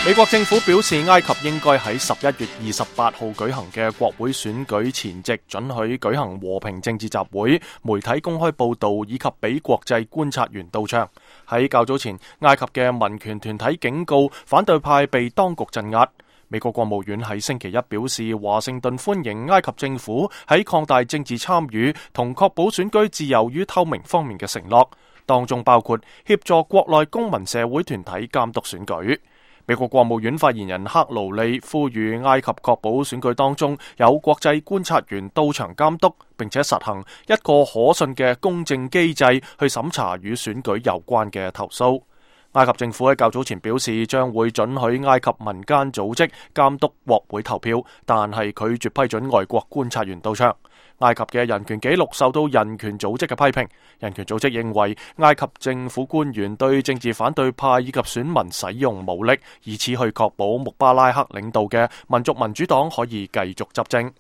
美國政府表示，埃及應該喺11月28號舉行嘅國會選舉前夕准許舉行和平政治集會、媒體公開報道以及俾國際觀察員到場。喺較早前，埃及嘅民權團體警告反對派被當局鎮壓。美國國務院喺星期一表示，華盛頓歡迎埃及政府喺擴大政治參與同確保選舉自由與透明方面嘅承諾，當中包括協助國內公民社會團體監督選舉。美國國務院發言人克勞利呼籲埃及確保選舉當中有國際觀察員到場監督，並且實行一個可信嘅公正機制去審查與選舉有關嘅投訴。埃及政府喺較早前表示，將會准許埃及民間組織監督國會投票，但係拒絕批准外國觀察員到場。埃及嘅人權紀錄受到人權組織嘅批評，人權組織認為埃及政府官員對政治反對派以及選民使用武力，以此去確保穆巴拉克領導嘅民族民主黨可以繼續執政。